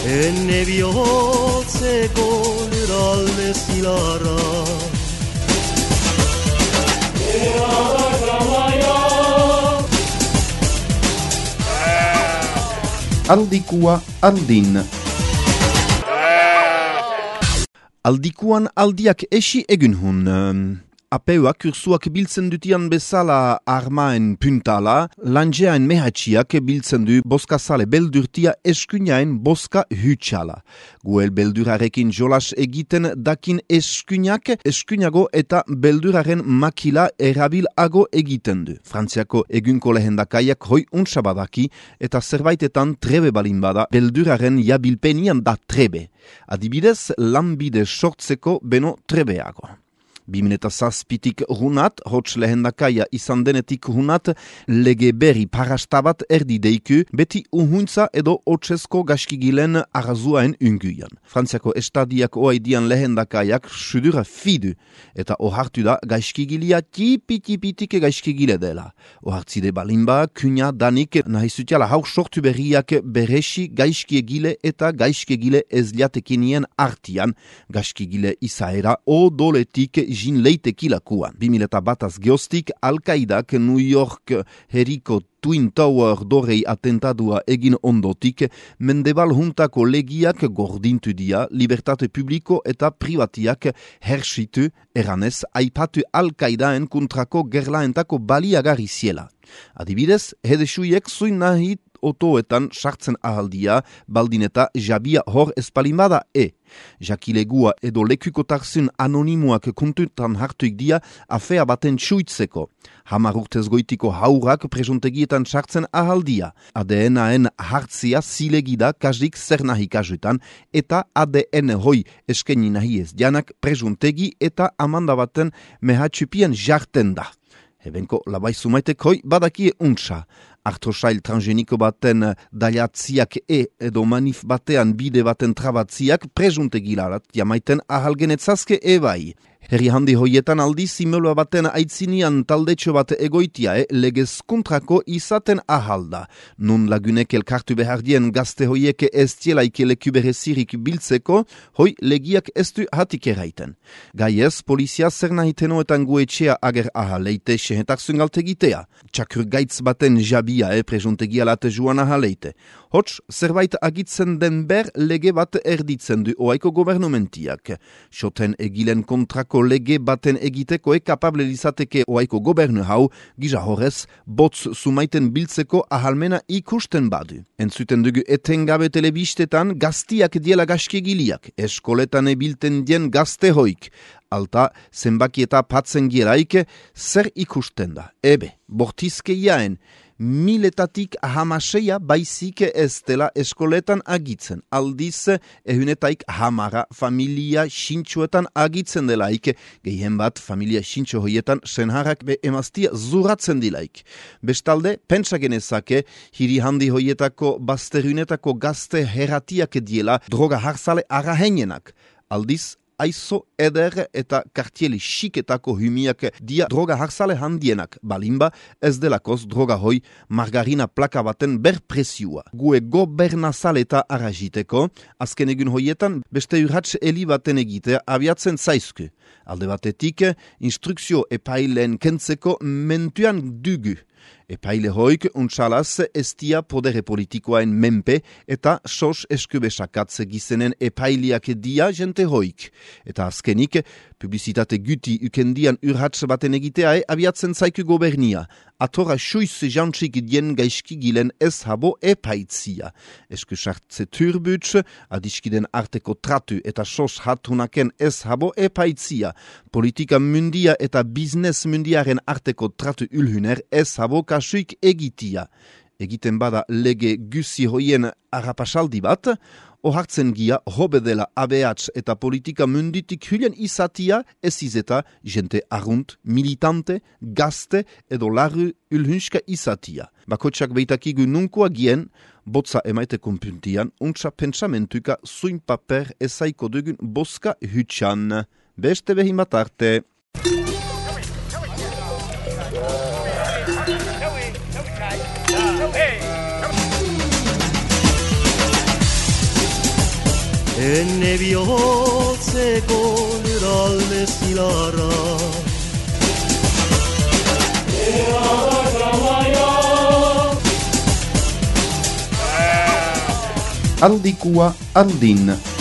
Enne bihotzeko lurralde zilarra Aldikua aldin. Aldikuan aldiak esi egun hun. Apeuak ursuak biltzen dutian bezala armaen puntala, lanjeaen mehatxiak biltzen du boskazale beldurtia eskuinaen boska hutsala. Guel beldurarekin jolas egiten dakin eskuinak, eskuinago eta belduraren makila erabilago egiten du. Frantziako egunko lehendakaiak hoi unsabadaki eta zerbaitetan trebe balin bada belduraren jabilpenian da trebe. Adibidez, lanbide sortzeko beno trebeago. 2007tik runat, hots lehendakaia izan denetik runat, lege berri parastabat erdi deiku, beti uhuntza edo hotsesko gaskigilen arrazuaen unguian. Frantziako estadiak oaidian lehendakaiak sudura fidu, eta ohartu da gaskigilia tipi-tipitik gaskigile dela. Ohartzide balimba, kunia danik nahizutiala hauk sortu berriak beresi gaskiegile eta gaskiegile ezliatekinien artian, gaskigile izaera odoletik jin leitekilakuan. 2001 geostik, Al-Qaidak New York herriko Twin Tower dorei atentadua egin ondotik, mendebal juntako legiak gordintu dia, libertate publiko eta privatiak hersitu, eranez, aipatu Al-Qaidaen kontrako gerlaentako baliagarri ziela. Adibidez, hedesuiek zuin nahi otoetan sartzen ahaldia, baldin eta jabia hor espalimada Jakilegua edo lekukotarzun anonimoak kontutan hartuik dia afea baten txuitzeko. 10 urtez goitiko haurak presuntegietan sartzen ahaldia. ADN-aen hartzia zilegida kasdik zer nahi kasuetan eta ADN hoi eskeni nahi ez janak presuntegi eta amanda baten mehatxupien jarten da. Ebenko labai sumaitek hoi badakie untsa. Artrosail transgeniko baten daliatziak edo manif batean bide baten trabatziak presuntegilarat jamaiten ahalgenetzazke bai. Herri handi hoietan aldi simulua baten aitzinian taldetxo bat egoitia legez kontrako izaten ahalda. Nun lagunek elkartu behardien gazte hoieke ez tielaike leku berezirik biltzeko, hoi legiak ez du hatik eraiten. Gaiez, polizia zer nahitenoetan guetxea ager ahaleite sehetarsun galtegitea. Txakur gaitz baten jabia presuntegialate joan ahaleite. Hots, zerbait agitzen den ber lege bat erditzen du oaiko gobernumentiak. Soten egilen kontrako lege baten egiteko kapable izateke oaiko gobernu hau, gisa horrez, botz sumaiten biltzeko ahalmena ikusten badu. Entzuten dugu etengabe telebistetan gaztiak diela gaskegiliak, eskoletan ebilten dien gazte hoik. Alta, zenbaki eta patzen gieraik, zer ikusten da. Bortizke jaen, 1000-etatik 16 baizik ez dela eskoletan agitzen. Aldiz, ehunetaik 10 familia xintxuetan agitzen delaik. Gehien bat, familia xintxo hoietan senharrak be emaztia zuratzen dilaik. Bestalde, pentsa genezake, hiri handi hoietako bazterunetako gazte herratiak diela droga harzale arahenenak. Aldiz, aizo eder eta kartieli xiketako humiak dia droga harzale handienak. Balimba ez delakoz droga hoi margarina plaka baten berpresiua. Gue gobernazal eta arraziteko, azken egun hoietan beste urratx eli baten egitea abiatzen zaizku. Alde batetik, instrukzio epailen kentzeko mentuan dugu. Epaile hoik untsalaz estia podere politikoaen menpe eta sos eskubesakatze gizenen epailiak dia jente hoik. Eta azkenik, publizitate guti ukendian urratz baten egitea abiatzen zaiku gobernia. Atora suiz jantxik dien gaizki gilen ez habo epaitzia. Eskusartze turbutz, adiskiden arteko tratu eta sos hatunaken ez habo epaitzia. Politika mundia eta biznes mundiaren arteko tratu ulhuner ez habo kasuik egitia. Egiten bada lege gusi hoien arapasaldi bat, ohartzen gia hobe dela ABH eta politika munditik hülien izatia ez izeta jente arrunt, militante, gazte edo larru ulhunska izatia. Bakotxak beitakigu nunkoa gien, botza emaite konpuntian, untsa pentsamentuka zuin paper ezaiko dugun boska hutsan. Beste behin bat arte. Enne bihotzeko lurralde zilarra. Aldikua aldin.